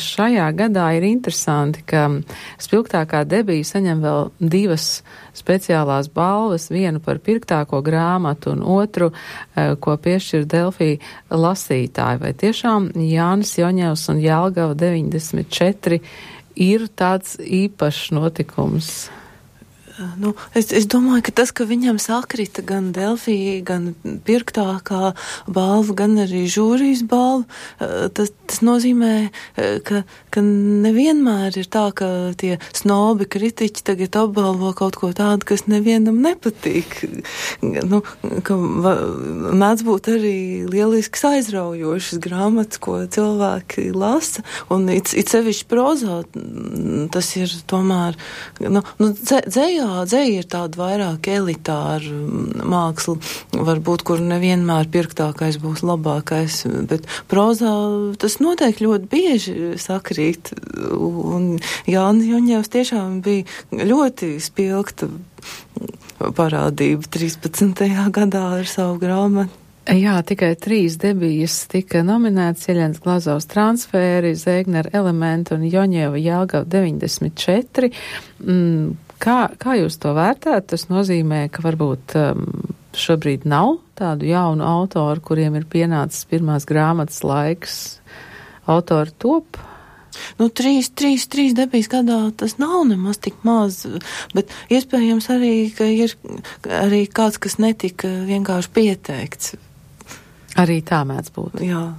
šajā gadā ir interesanti, ka spilgtākā debija saņem vēl 2 speciālās balvas, vienu par pirktāko grāmatu un otru, ko piešķir Delfī lasītāji. Vai tiešām Jānis Joņevs un Jelgava 94 ir tāds īpašs notikums? Es domāju, ka tas, ka viņam sakrita gan Delfī, gan pirktākā balva, gan arī žūrijas balva, tas nozīmē, ka nevienmēr ir tā, ka tie snobi kritiķi tagad apbalvo kaut ko tādu, kas nevienam nepatīk. Ka mēdz būt arī lielisks aizraujošas grāmatas, ko cilvēki lasa, un it sevišķi prozā tas ir tomēr, dzēja ir tāda vairāk elitāra māksla, varbūt, kur nevienmēr pirktākais būs labākais, bet prozā tas noteikti ļoti bieži sakrīt, un Jānis Joņevs tiešām bija ļoti spilgta parādība 13. gadā ar savu grāmatu. Jā, tikai 3 debijas tika nominētas: Jeļenas Glazovas transfēri, Zēgnera elementi un Joņeva Jelgava 94. Kā jūs to vērtējat? Tas nozīmē, ka varbūt šobrīd nav tādu jaunu autoru, kuriem ir pienācis pirmās grāmatas laiks. Autori top? 3 debijas gadā tas nav nemaz tik maz, bet iespējams arī, ka ir arī kāds, kas netika vienkārši pieteikts. Arī tā mēdz būt. Jā.